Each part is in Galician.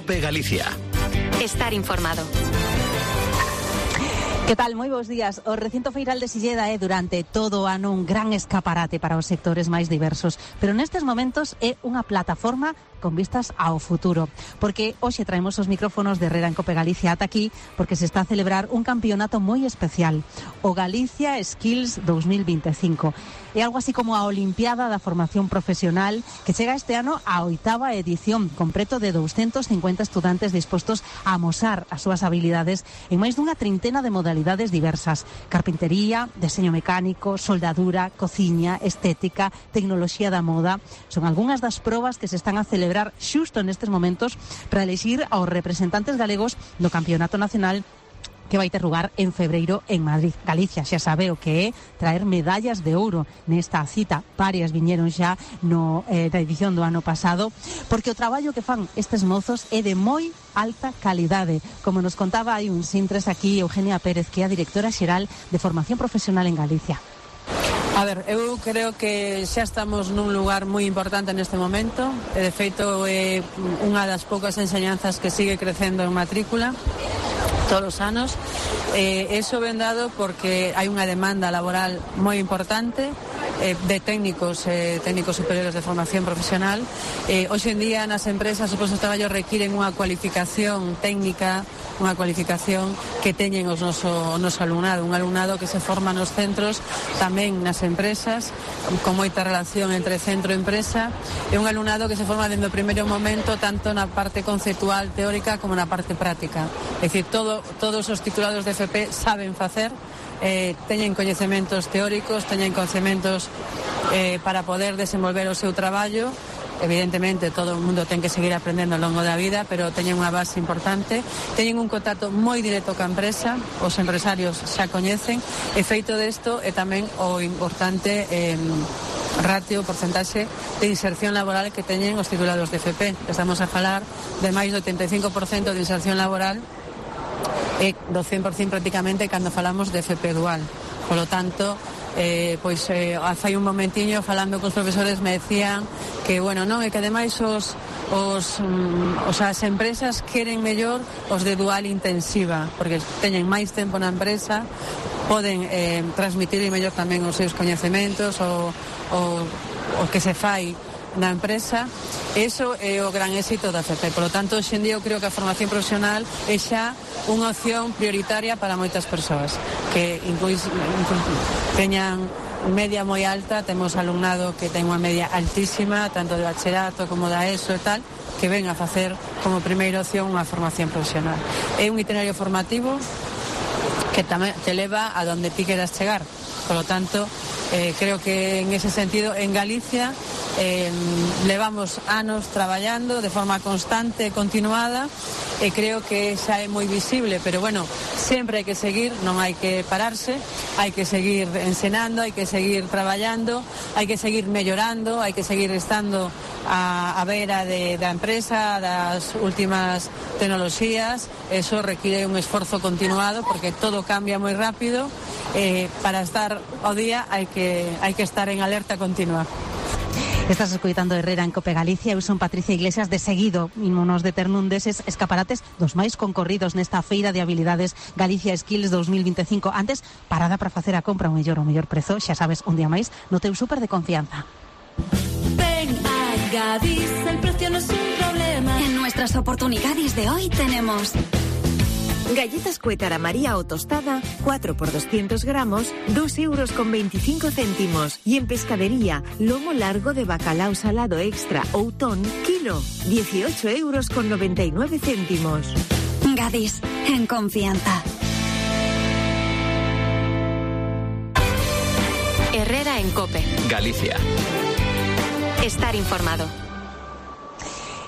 COPE Galicia. Estar informado. Que tal? Moi bons días. O recinto feiral de Silleda é durante todo o ano un gran escaparate para os sectores máis diversos, pero nestes momentos é unha plataforma con vistas ao futuro, porque hoxe traemos os micrófonos de Herrera en Cope Galicia ata aquí, porque se está a celebrar un campeonato moi especial, o Galicia Skills 2025. É algo así como a Olimpiada da Formación Profesional, que chega este ano á 8ª edición, con preto de 250 estudantes dispostos a amosar as súas habilidades en máis dunha trintena de modalidades diversas: carpintería, deseño mecánico, soldadura, cociña, estética, tecnoloxía da moda. Son algunhas das probas que se están a celebrar xusto nestes momentos para elixir aos representantes galegos do Campeonato Nacional que vai ter lugar en febreiro en Madrid. Galicia xa sabe o que é traer medallas de ouro nesta cita. Varias viñeron xa na edición do ano pasado, porque o traballo que fan estes mozos é de moi alta calidade, como nos contaba hai uns intres aquí Eugenia Pérez, que é a directora xeral de Formación Profesional en Galicia. A ver, eu creo que xa estamos nun lugar moi importante neste momento. De feito, é unha das poucas enseñanzas que sigue crecendo en matrícula todos os anos. Eso ven dado porque hai unha demanda laboral moi importante de técnicos superiores de formación profesional. Hoxe en día nas empresas os postos de traballo requiren unha cualificación técnica, unha cualificación que teñen o noso alumnado, un alumnado que se forma nos centros, tamén nas empresas, con moita relación entre centro e empresa, é un alumnado que se forma dende o primeiro momento tanto na parte conceptual teórica como na parte práctica. É dicir, todos os titulados de FP saben facer, teñen coñecementos teóricos, teñen coñecementos para poder desenvolver o seu traballo. Evidentemente todo o mundo ten que seguir aprendendo ao longo da vida, pero teñen unha base importante, teñen un contacto moi directo ca empresa, os empresarios xa coñecen, e feito desto é tamén o importante ratio, porcentaxe de inserción laboral que teñen os titulados de FP. Estamos a falar de máis do 85% de inserción laboral e do 100% prácticamente cando falamos de FP dual. Por lo tanto, fai un momentiño falando cos profesores me decían que, bueno, non, é que ademais as empresas queren mellor os de dual intensiva, porque teñen máis tempo na empresa, poden transmitir mellor tamén os seus coñecementos, o que se fai na empresa. Eso é o gran éxito da FP. Por lo tanto, hoxe en día eu creo que a formación profesional é xa unha opción prioritaria para moitas persoas que teñan media moi alta. Temos alumnado que ten unha media altísima, tanto de bachillerato como da ESO e tal, que ven a facer como primeira opción unha formación profesional. É un itinerario formativo que tamén te leva a donde ti queras chegar. Por lo tanto, creo que en ese sentido en Galicia levamos anos traballando de forma constante e continuada, e creo que xa é moi visible, pero bueno, sempre hai que seguir, non hai que pararse, hai que seguir ensinando, hai que seguir traballando, hai que seguir mellorando, hai que seguir estando a vera da empresa, das últimas tecnoloxías. Eso requiere un esforzo continuado porque todo cambia moi rápido. Para estar ao día hai que estar en alerta continua. Estás escoitando Herrera en Cope Galicia. Eu son Patricia Iglesias. De seguido imos deter nun deses escaparates dos máis concorridos nesta feira de habilidades Galicia Skills 2025. Antes, parada para facer a compra o mellor prezo, xa sabes, un día máis no teu súper de confianza. Ven a Gadis, el precio no es un problema. En nuestras oportunidades de hoy tenemos galletas Cuétara María o tostada, 4 por 200 gramos, 2,25 €. Y en pescadería, lomo largo de bacalao salado extra Outón, kilo, 18,99 €. Gadis, en confianza. Herrera en Cope Galicia. Estar informado.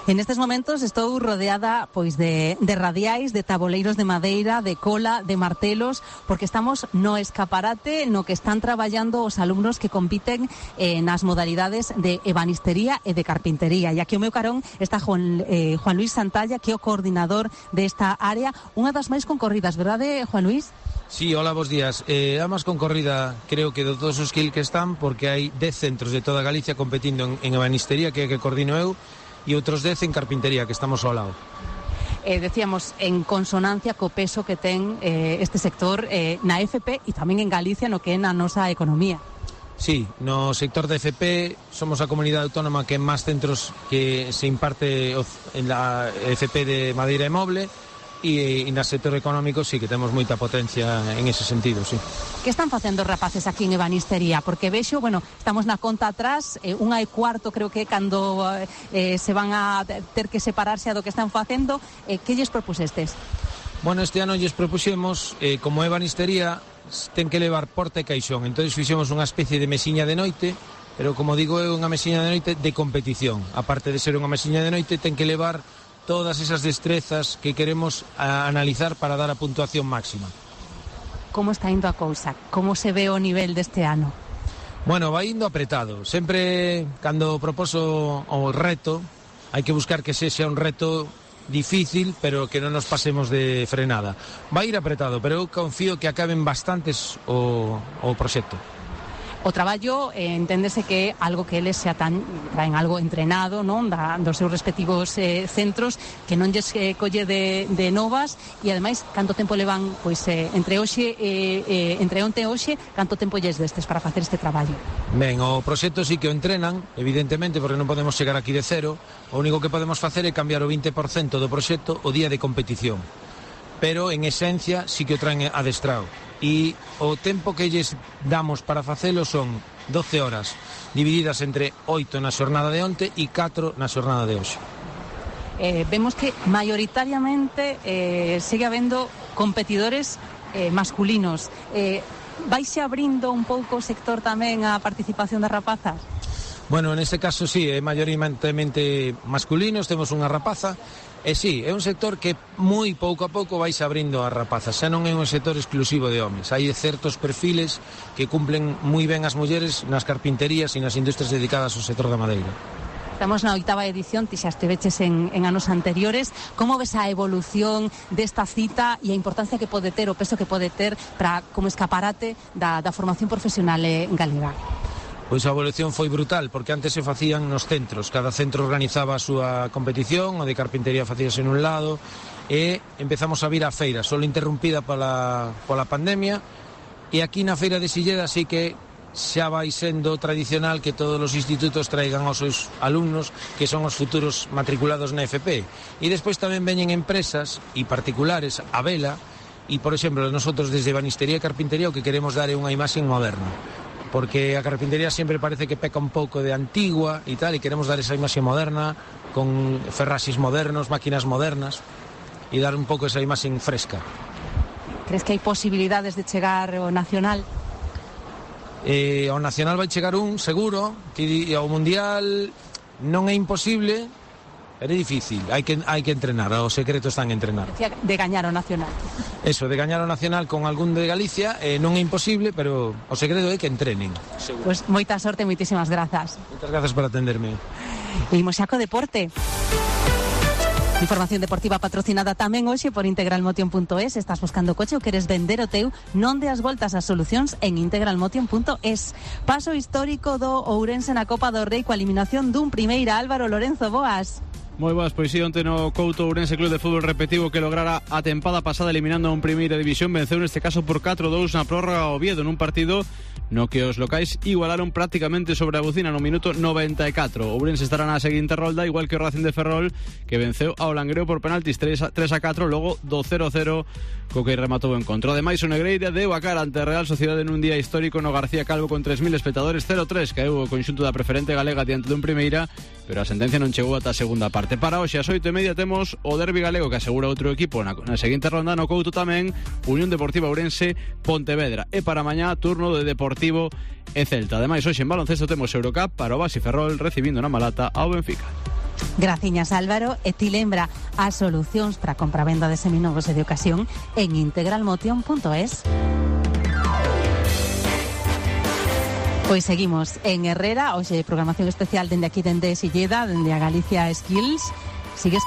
En estes momentos estou rodeada pois de radiais, de taboleiros de madeira, de cola, de martelos, porque estamos no escaparate no que están traballando os alumnos que compiten nas modalidades de ebanistería e de carpintería. E aquí ao meu carón está Juan Luis Santalla, que é o coordinador desta área, unha das máis concorridas, verdade, Juan Luis? Sí, hola, bos días. A máis concorrida creo que de todos os skills que están, porque hai 10 centros de toda Galicia competindo en ebanistería, que coordino eu, e outros 10 en carpintería, que estamos ao lado. decíamos, en consonancia co peso que ten este sector na FP e tamén en Galicia no que é na nosa economía. Sí, no sector de FP somos a comunidade autónoma que máis centros que se imparte en la FP de madeira e moble, e no sector económico sí que temos moita potencia en ese sentido, sí. Que están facendo os rapaces aquí en ebanistería? Porque vexo, bueno, estamos na conta atrás, 1:15 creo que cando se van a ter que separarse do que están facendo. Que lles propusestes? Bueno, este ano lles propuxemos, como ebanistería ten que levar porta e caixón, entón fixemos unha especie de mesiña de noite, pero como digo, é unha mesiña de noite de competición. Aparte de ser unha mesiña de noite, ten que levar todas esas destrezas que queremos analizar para dar a puntuación máxima. Como está indo a cousa? Como se ve o nivel deste ano? Bueno, vai indo apretado. Sempre, cando proposo o reto, hai que buscar que sexa un reto difícil, pero que non nos pasemos de frenada. Vai ir apretado, pero eu confío que acaben bastantes o proxecto. O traballo enténdese que é algo que eles xa traen algo entrenado, non, dos seus respectivos centros, que non lles colle de novas, e ademais canto tempo levan, pois entre onte e hoxe, canto tempo lles destes para facer este traballo? Ben, o proxecto sí que o entrenan, evidentemente, porque non podemos chegar aquí de cero. O único que podemos facer é cambiar o 20% do proxecto o día de competición, pero en esencia sí que o traen adestrado. E o tempo que lles damos para facelo son 12 horas, divididas entre 8 na xornada de onte e 4 na xornada de hoxe. Vemos que maioritariamente segue habendo competidores masculinos. Vaise abrindo un pouco o sector tamén a participación das rapazas? Bueno, neste caso sí, é maioritariamente masculinos, temos unha rapaza. E sí, é un sector que moi pouco a pouco vais abrindo as rapazas, xa non é un sector exclusivo de homes. Hai certos perfiles que cumplen moi ben as mulleres nas carpinterías e nas industrias dedicadas ao sector da madeira. Estamos na 8ª edición, ti xa esteveches en anos anteriores. Como ves a evolución desta cita e a importancia que pode ter, o peso que pode ter para como escaparate da formación profesional galega? Pois a evolución foi brutal, porque antes se facían nos centros, cada centro organizaba a súa competición, o de carpintería facíase nun lado, e empezamos a vir a feira, solo interrumpida pola pandemia, e aquí na feira de Silleda sí que xa vai sendo tradicional que todos os institutos traigan aos seus alumnos, que son os futuros matriculados na FP. E despois tamén veñen empresas e particulares a vela, e por exemplo, nosotros desde ebanistería e carpintería o que queremos dar é unha imaxe moderna, porque a carpintería sempre parece que peca un pouco de antigua e tal, e queremos dar esa imaxe moderna, con ferraxes modernos, máquinas modernas, e dar un pouco esa imaxe fresca. Crees que hai posibilidades de chegar ao nacional? Ao nacional vai chegar seguro, que ao mundial non é imposible, pero é difícil, hai que entrenar, o secreto está en entrenar. De gañar o nacional. Eso, de gañar o nacional con algún de Galicia, non é imposible, pero o segredo é que entrenen. Pois moita sorte, moitísimas grazas. Moitas grazas por atenderme. Imos xa co deporte. Información deportiva patrocinada tamén hoxe por integralmotion.es. Estás buscando coche ou queres vender o teu? Non deas voltas ás solucións en integralmotion.es. Paso histórico do Ourense na Copa do Rei coa eliminación dun primeira. Álvaro Lorenzo, boas. Moi boas, pois si, onte no Couto Ourense Club de Fútbol repetivo que lograra a tempada pasada eliminando a un primeira división, venceu neste caso por 4-2 na prórroga ao Oviedo nun partido no que os locais igualaron prácticamente sobre a bucina no minuto 94. Ourense estará na seguinte rolda, igual que o Racing de Ferrol, que venceu ao Langreo por penaltis 3-4, logo do 0-0 co que rematou o encontro. Ademais, o Negreira deu a cara ante a Real Sociedade nun día histórico no García Calvo con 3.000 espectadores. 0-3 caeu o conxunto da preferente galega diante dun primeira, pero a sentencia non chegou ata a segunda parte. Para hoxe, ás 8:30, temos o derbi galego que asegura outro equipo na seguinte ronda. No Couto tamén, Unión Deportiva Ourense Pontevedra. E para mañá, turno de Deportivo e Celta. Ademais, hoxe en baloncesto temos Eurocup para o Basi Ferrol recibindo na Malata ao Benfica. Graciñas, Álvaro. E ti lembra as solucións para compra-venda de seminovos e de ocasión en integralmotion.es. Pois seguimos en Herrera, hoxe programación especial dende aquí, dende Silleda, dende a Galicia Skills. Sigues co